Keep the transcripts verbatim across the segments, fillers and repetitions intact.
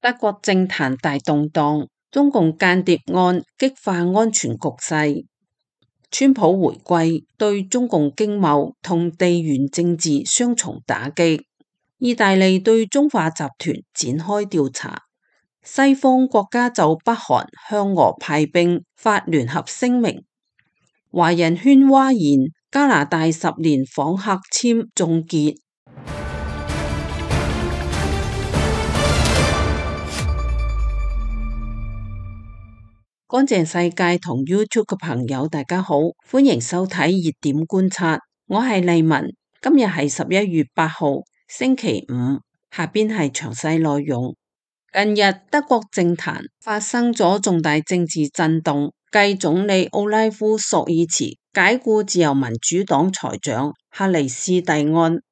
德國政壇大動盪，中共間諜案激化安全局勢。川普回歸對中共經貿同地緣政治雙重打擊。意大利對中化集團展開調查。西方國家就北韓向俄派兵發聯合聲明。華人圈譁然，加拿大十年訪客簽終結。乾淨世界同 YouTube 嘅朋友大家好，歡迎收睇熱點觀察，我係麗文。今日係十一月八號星期五，下邊係詳細內容。近日德國政壇發生咗重大政治震動，繼總理奧拉夫索爾茨解雇自由民主黨財長克里斯蒂安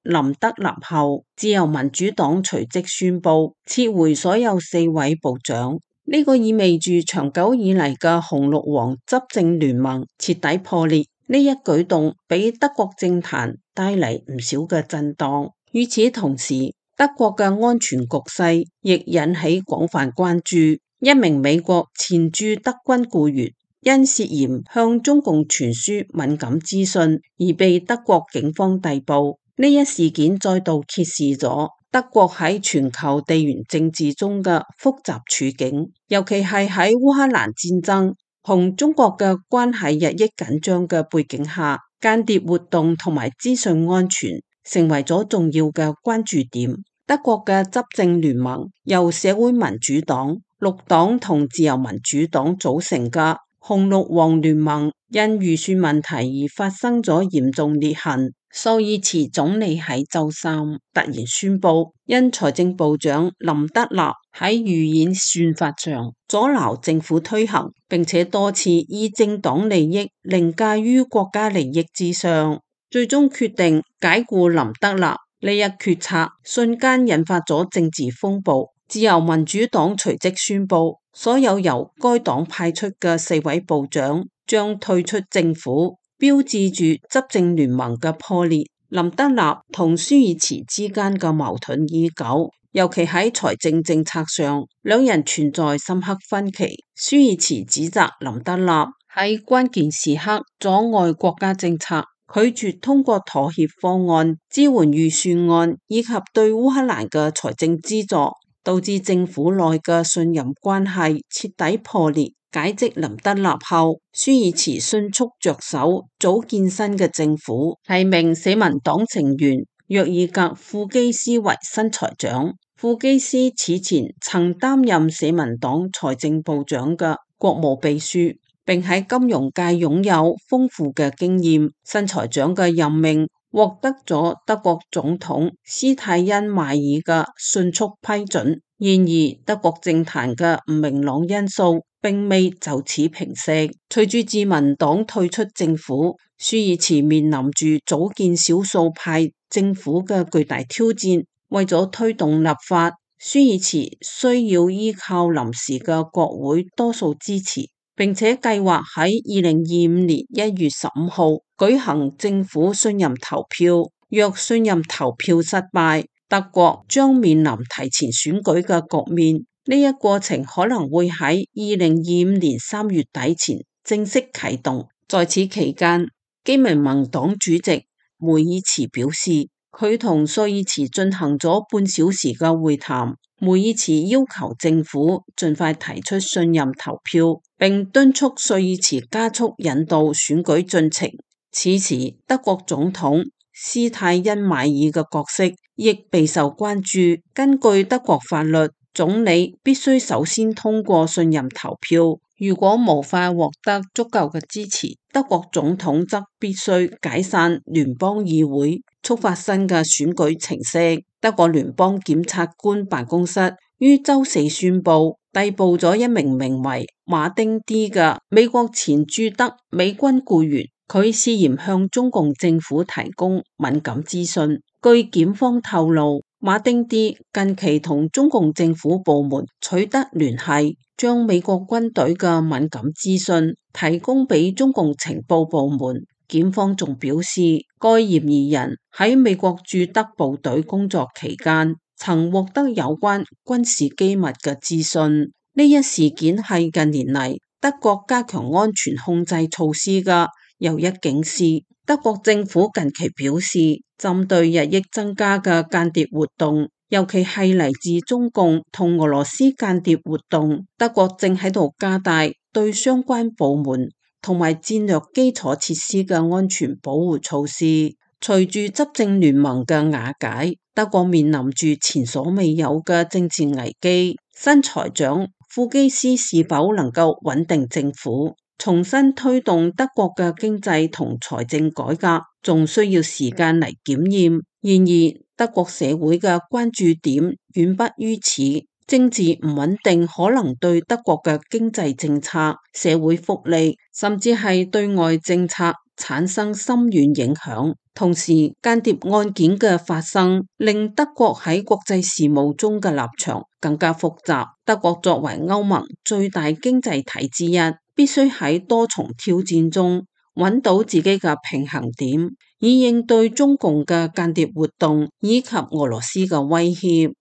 林德納後，自由民主黨隨即宣布撤回所有四位部長。呢個意味住長久以嚟嘅紅綠黃執政聯盟徹底破裂。呢一舉動俾德國政壇帶嚟唔少嘅震盪。與此同時，德國嘅安全局勢亦引起廣泛關注。一名美國前駐德軍僱員因涉嫌向中共傳輸敏感資訊而被德國警方逮捕。呢一事件再度揭示咗德國喺全球地緣政治中嘅複雜處境，尤其係喺烏克蘭戰爭同中國嘅關係日益緊張嘅背景下，間諜活動同埋資訊安全成為咗重要嘅關注點。德國嘅執政聯盟由社會民主黨、綠黨同自由民主黨組成嘅紅綠黃聯盟，因預算問題而發生咗嚴重裂痕。索爾茨總理喺周三突然宣布，因財政部長林德納喺預演算法上阻撓政府推行，並且多次以政黨利益凌駕於國家利益之上，最終決定解雇林德納。呢一決策瞬間引發咗政治風暴。自由民主黨隨即宣布，所有由該黨派出嘅四位部長將退出政府，標誌住執政聯盟嘅破裂。林德納同舒爾茨之間嘅矛盾已久，尤其喺財政政策上，兩人存在深刻分歧。舒爾茨指責林德納喺關鍵時刻阻礙國家政策，拒絕通過妥協方案支援預算案以及對烏克蘭嘅財政資助，導致政府內嘅信任關係徹底破裂。解職林德納後，舒爾茨迅速着手組建新嘅政府，提名社民黨成員約爾格庫基斯為新財長。庫基斯此前曾擔任社民黨財政部長嘅國務秘書，並喺金融界擁有豐富嘅經驗。新財長嘅任命獲得咗德國總統施泰因邁爾嘅迅速批准。然而，德國政壇嘅唔明朗因素並未就此平息。隨住自民黨退出政府，舒爾茨面臨住組建少數派政府嘅巨大挑戰。為咗推動立法，舒爾茨需要依靠臨時嘅國會多數支持，並且計劃喺二零二五年一月十五號舉行政府信任投票。若信任投票失敗，德國將面臨提前選舉嘅局面。呢一過程可能會喺二零二五年三月底前正式啟動。在此期間，基民盟黨主席梅爾茨表示，佢同索爾茨進行咗半小時嘅會談。梅爾茨要求政府盡快提出信任投票，並敦促索爾茨加速引導選舉進程。此時，德國總統施泰因邁爾嘅角色亦備受關注。根據德國法律，總理必須首先通過信任投票，如果無法獲得足夠嘅支持，德國總統則必須解散聯邦議會，觸發新嘅選舉程式。德國聯邦檢察官辦公室於周四宣布逮捕咗一名名為馬丁 D 嘅美國前駐德美軍僱員，佢涉嫌向中共政府提供敏感資訊。據檢方透露，馬丁 D 近期同中共政府部門取得聯繫，將美國軍隊嘅敏感資訊提供俾中共情報部門。檢方仲表示，該嫌疑人喺美國駐德部隊工作期間，曾獲得有關軍事機密嘅資訊。呢一事件係近年嚟德國加強安全控制措施嘅又一警示。德國政府近期表示，針對日益增加嘅間諜活動，尤其係嚟自中共同俄羅斯間諜活動，德國正喺度加大對相關部門同埋戰略基礎設施嘅安全保護措施。隨住執政聯盟嘅瓦解，德國面臨住前所未有嘅政治危機。新財長庫基斯是否能夠穩定政府，重新推動德國嘅經濟同財政改革，仲需要時間嚟檢驗。然而，德國社會嘅關注點遠不於此，政治唔穩定可能對德國嘅經濟政策、社會福利，甚至係對外政策產生深遠影響。同時，間諜案件嘅發生，令德國喺國際事務中嘅立場更加複雜。德國作為歐盟最大經濟體之一，必須喺多重挑戰中揾到自己嘅平衡點，以應對中共嘅間諜活動以及俄羅斯嘅威脅。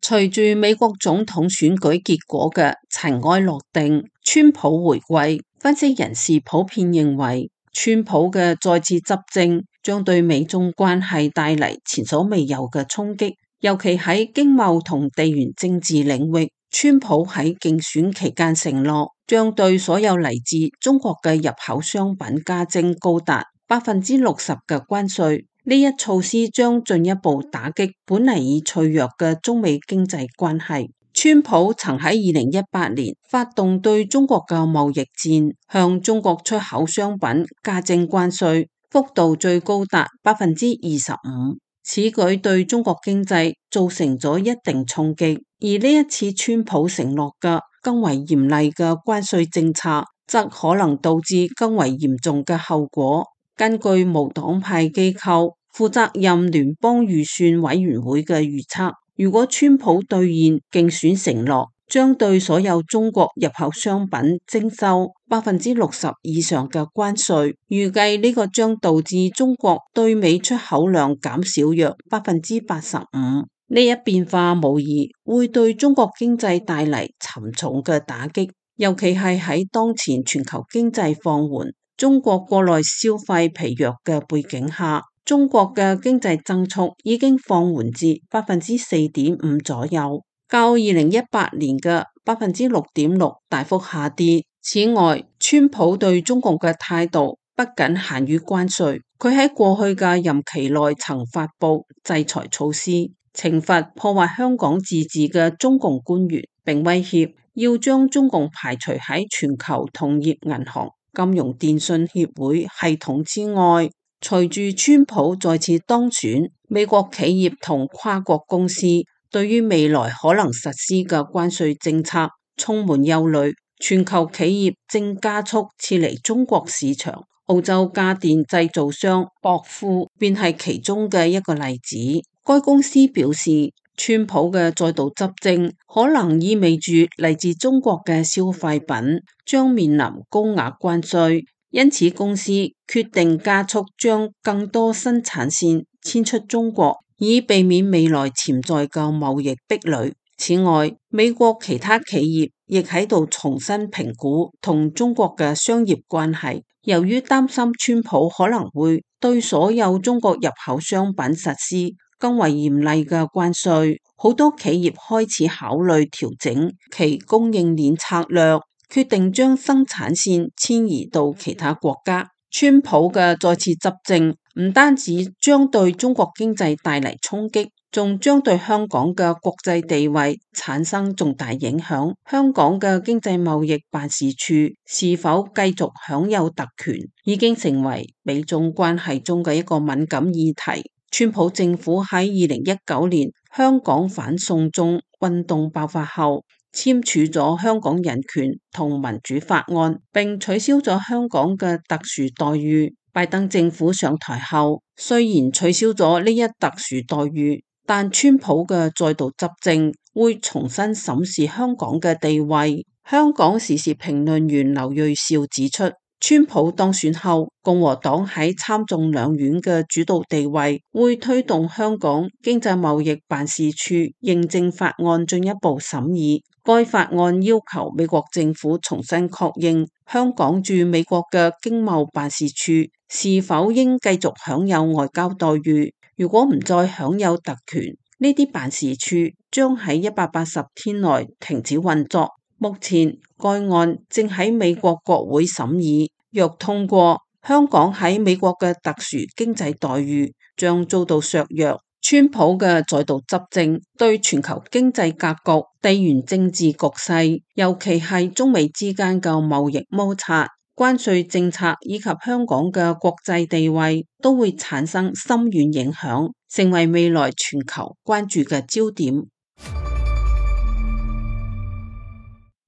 隨住美國總統選舉結果嘅塵埃落定，川普回歸，分析人士普遍認為，川普嘅再次執政將對美中關係帶嚟前所未有嘅衝擊，尤其喺經貿同地緣政治領域。川普喺競選期間承諾，將對所有嚟自中國嘅入口商品加徵高達百分之六十嘅關稅。呢一措施將進一步打擊本嚟已脆弱嘅中美經濟關係。川普曾喺二零一八年發動對中國嘅貿易戰，向中國出口商品加徵關稅，幅度最高達百分之二十五。此舉對中國經濟造成咗一定衝擊，而呢一次川普承諾嘅更為嚴厲嘅關稅政策，則可能導致更為嚴重嘅後果。根據無黨派機構負責任聯邦預算委員會嘅預測，如果川普兌現競選承諾，將對所有中國入口商品徵收百分之六十以上嘅關稅，預計呢個將導致中國對美出口量減少約百分之八十五。呢一變化無疑會對中國經濟帶嚟沉重嘅打擊，尤其係喺當前全球經濟放緩、中國國內消費疲弱嘅背景下，中國嘅經濟增速已經放緩至百分之四點五左右，較二零一八年嘅百分之六點六大幅下跌。此外，川普對中國嘅態度不僅限於關稅，佢喺過去嘅任期內曾發布制裁措施，懲罰破壞香港自治嘅中共官員，並威脅要將中共排除喺全球同業銀行、金融電信協會系統之外。隨住川普再次當選，美國企業同跨國公司對於未來可能實施嘅關稅政策充滿憂慮。全球企業正加速撤離中國市場，澳洲家電製造商博富便係其中嘅一個例子。該公司表示，川普嘅再度執政可能意味住嚟自中國嘅消費品將面臨高額關稅，因此公司決定加速將更多生產線遷出中國，以避免未來潛在嘅貿易壁壘。此外，美國其他企業亦喺度重新評估同中國嘅商業關係，由於擔心川普可能會對所有中國入口商品實施更為嚴厲嘅關稅，好多企業開始考慮調整其供應鏈策略，決定將生產線遷移到其他國家。川普嘅再次執政唔單止將對中國經濟帶嚟衝擊，仲將對香港嘅國際地位產生重大影響。香港嘅經濟貿易辦事處是否繼續享有特權，已經成為美中關係中嘅一個敏感議題。川普政府喺二零一九年香港反送中運動爆發後，簽署咗香港人權同民主法案，並取消咗香港嘅特殊待遇。拜登政府上台後，雖然取消咗呢一特殊待遇，但川普嘅再度執政會重新審視香港嘅地位。香港時事評論員劉銳紹指出，川普當選後，共和黨喺參眾兩院嘅主導地位，會推動香港經濟貿易辦事處認證法案進一步審議。該法案要求美國政府重新確認香港駐美國嘅經貿辦事處是否應繼續享有外交待遇。如果唔再享有特權，呢啲辦事處將喺一百八十天內停止運作。目前該案正喺美國國會審議，若通過，香港喺美國嘅特殊經濟待遇將遭到削弱。川普嘅再度執政對全球經濟格局、地緣政治局勢，尤其係中美之間嘅貿易摩擦、關稅政策以及香港嘅國際地位，都會產生深遠影響，成為未來全球關注嘅焦點。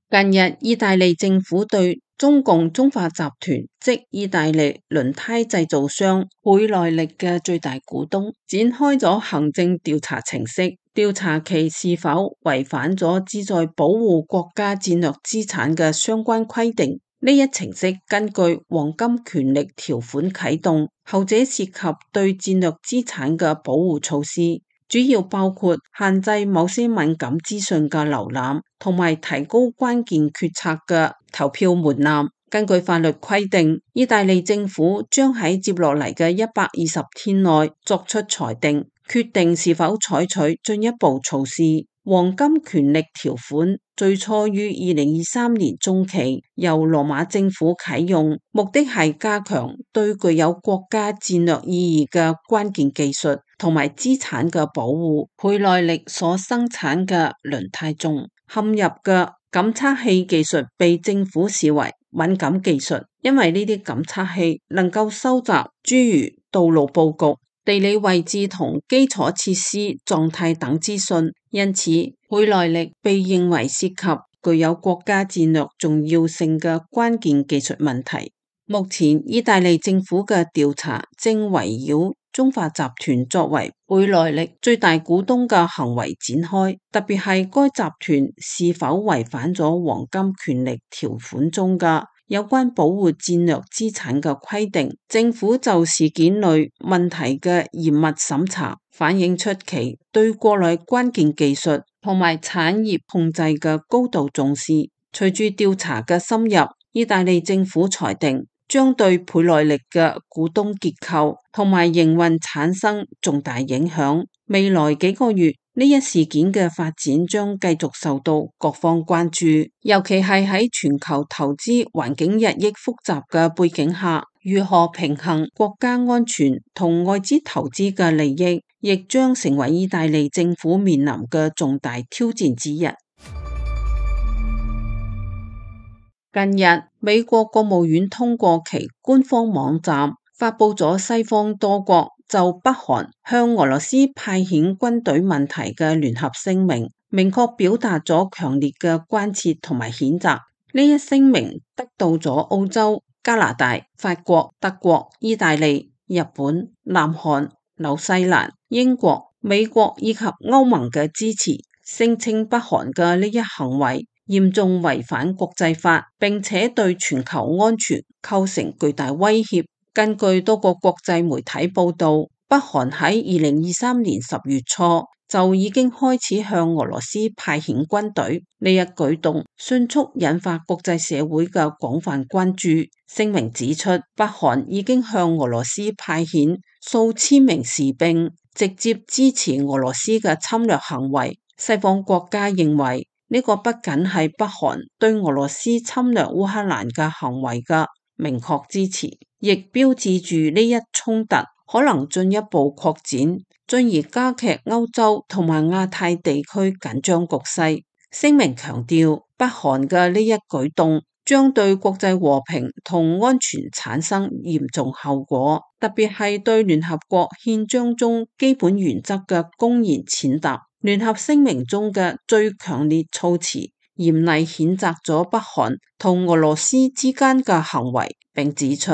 近日，意大利政府對中共中化集團，即意大利輪胎製造商倍耐力嘅最大股東，展開咗行政調查程式，調查其是否違反咗旨在保護國家戰略資產嘅相關規定。呢一程式根據黃金權力條款啟動，後者涉及對戰略資產嘅保護措施。主要包括限制某些敏感資訊嘅瀏覽，同埋提高關鍵決策嘅投票門檻。根據法律規定，意大利政府將喺接落嚟嘅一百二十天內作出裁定，決定是否採取進一步措施。黃金權力條款最初於二零二三年中期由羅馬政府啟用，目的係加強對具有國家戰略意義嘅關鍵技術同埋資產嘅保護。倍耐力所生產嘅輪胎中嵌入嘅感測器技術被政府視為敏感技術，因為呢啲感測器能夠收集諸如道路佈局、地理位置同基礎設施狀態等資訊，因此倍耐力被認為涉及具有國家戰略重要性嘅關鍵技術問題。目前意大利政府嘅調查正圍繞中化集團作為倍耐力最大股東嘅行為展開，特別係該集團是否違反咗黃金權力條款中嘅有關保護戰略資產嘅規定。政府就事件類問題嘅嚴密審查，反映出其對國內關鍵技術同埋產業控制嘅高度重視。隨住調查嘅深入，意大利政府裁定將對倍耐力嘅股東結構同埋營運產生重大影響。未來幾個月，呢一事件嘅發展將繼續受到各方關注，尤其係喺全球投資環境日益複雜嘅背景下，如何平衡國家安全同外資投資嘅利益，亦將成為意大利政府面臨嘅重大挑戰之一。近日，美國國務院通過其官方網站發佈咗西方多國就北韓向俄羅斯派遣軍隊問題嘅聯合聲明，明確表達咗強烈嘅關切同埋譴責。呢一聲明得到咗澳洲、加拿大、法國、德國、意大利、日本、南韓、紐西蘭、英國、美國以及歐盟嘅支持，聲稱北韓嘅呢一行為嚴重違反國際法，並且對全球安全構成巨大威脅。根據多個國際媒體報道，北韓喺二零二三年十月初就已經開始向俄羅斯派遣軍隊，呢一舉動迅速引發國際社會嘅廣泛關注。聲明指出，北韓已經向俄羅斯派遣數千名士兵，直接支持俄羅斯嘅侵略行為。西方國家認為，呢個不僅係北韓對俄羅斯侵略烏克蘭嘅行為嘅明確支持，亦標誌住呢一衝突可能進一步擴展，進而加劇歐洲同埋亞太地區緊張局勢。聲明強調，北韓嘅呢一舉動將對國際和平同安全產生嚴重後果，特別係對聯合國憲章中基本原則嘅公然踐踏。聯合聲明中嘅最強烈措辭，嚴厲譴責咗北韓同俄羅斯之間嘅行為，並指出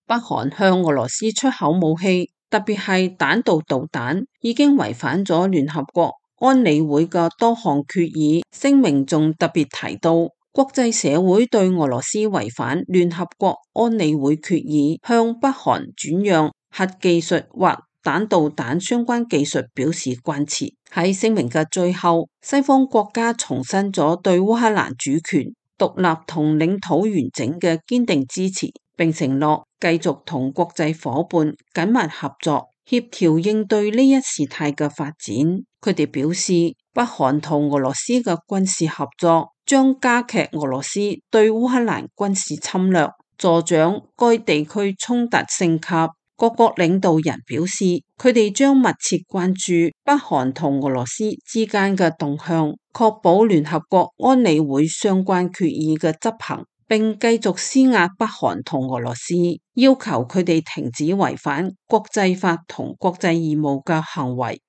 北韓向俄羅斯出口武器，特別係彈道導彈，已經違反咗聯合國安理會嘅多項決議。聲明仲特別提到，國際社會對俄羅斯違反聯合國安理會決議，向北韓轉讓核技術或彈道彈相關技術表示關切。喺聲明嘅最後，西方國家重申咗對烏克蘭主權、獨立同領土完整嘅堅定支持，並承諾繼續同國際夥伴緊密合作，協調應對呢一事態嘅發展。佢哋表示，北韓同俄羅斯嘅軍事合作將加劇俄羅斯對烏克蘭軍事侵略，助長該地區衝突升級。各國領導人表示，佢哋將密切關注北韓同俄羅斯之間嘅動向，確保聯合國安理會相關決議嘅執行，並繼續施壓北韓同俄羅斯，要求佢哋停止違反國際法同國際義務嘅行為。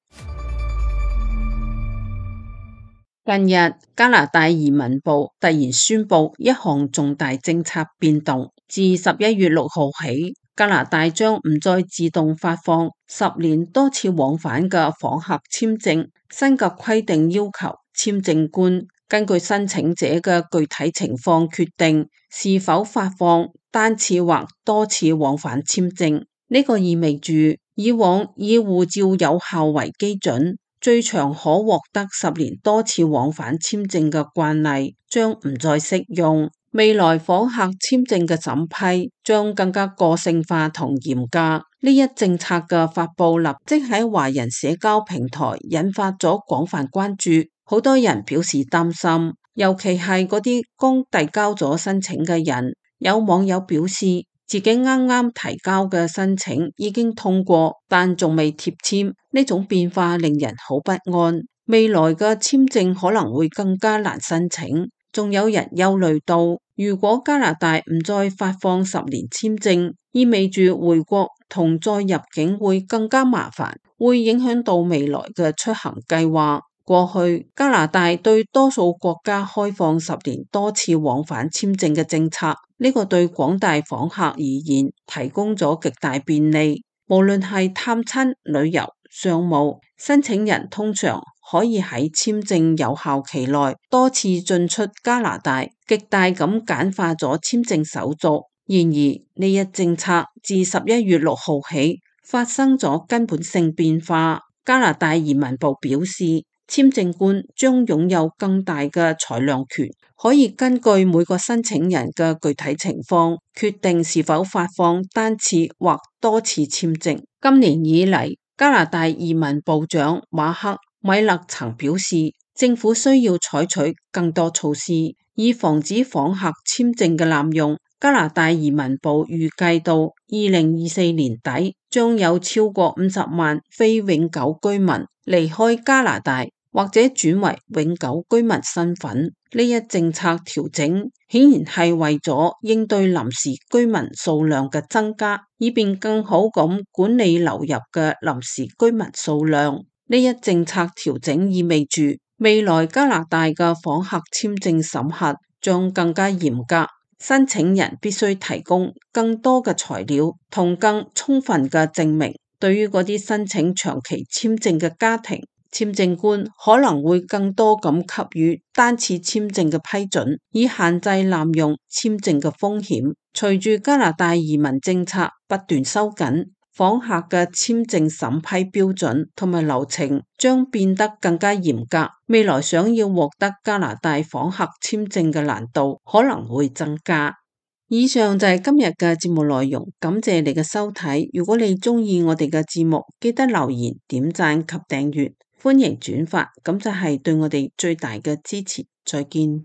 近日，加拿大移民部突然宣布一項重大政策變動，自十一月六號起，加拿大將唔再自動發放十年多次往返嘅訪客簽證。新嘅規定要求簽證官根據申請者嘅具體情況決定是否發放單次或多次往返簽證。呢個意味住以往以護照有效為基準，最長可獲得十年多次往返簽證嘅慣例將唔再適用。未來訪客簽證嘅審批將更加個性化同嚴格。呢一政策嘅發佈立即喺華人社交平台引發咗廣泛關注，好多人表示擔心，尤其係嗰啲剛遞交咗申請嘅人。有網友表示，自己啱啱提交嘅申請已經通過，但仲未貼簽。呢種變化令人好不安，未來嘅簽證可能會更加難申請。仲有人憂慮到，如果加拿大唔再發放十年簽證，意味住回國同再入境會更加麻煩，會影響到未來嘅出行計劃。過去加拿大對多數國家開放十年多次往返簽證嘅政策，呢個對廣大訪客而言提供咗極大便利，無論係探親、旅遊、商務，申請人通常可以喺簽證有效期內多次進出加拿大，極大咁簡化咗簽證手續。然而呢一政策自十一月六號起發生咗根本性變化。加拿大移民部表示，簽證官將擁有更大嘅裁量權，可以根據每個申請人嘅具體情況決定是否發放單次或多次簽證。今年以嚟，加拿大移民部長馬克米勒曾表示，政府需要採取更多措施，以防止訪客簽證嘅濫用。加拿大移民部預計到二零二四年底，將有超過五十萬非永久居民離開加拿大，或者轉為永久居民身份。呢一政策調整顯然係為咗應對臨時居民數量嘅增加，以便更好咁管理流入嘅臨時居民數量。呢一政策調整意味住未來加拿大嘅訪客簽證審核將更加嚴格，申請人必須提供更多嘅材料同更充分嘅證明。對於嗰啲申請長期簽證嘅家庭，簽證官可能會更多咁給予單次簽證嘅批准，以限制濫用簽證嘅風險。隨住加拿大移民政策不斷收緊，訪客嘅簽證審批標準同埋流程將變得更加嚴格。未來想要獲得加拿大訪客簽證嘅難度可能會增加。以上就係今日嘅節目內容，感謝你嘅收睇。如果你鍾意我哋嘅節目，記得留言、點讚及訂閱，歡迎轉發，咁就係對我哋最大嘅支持。再見。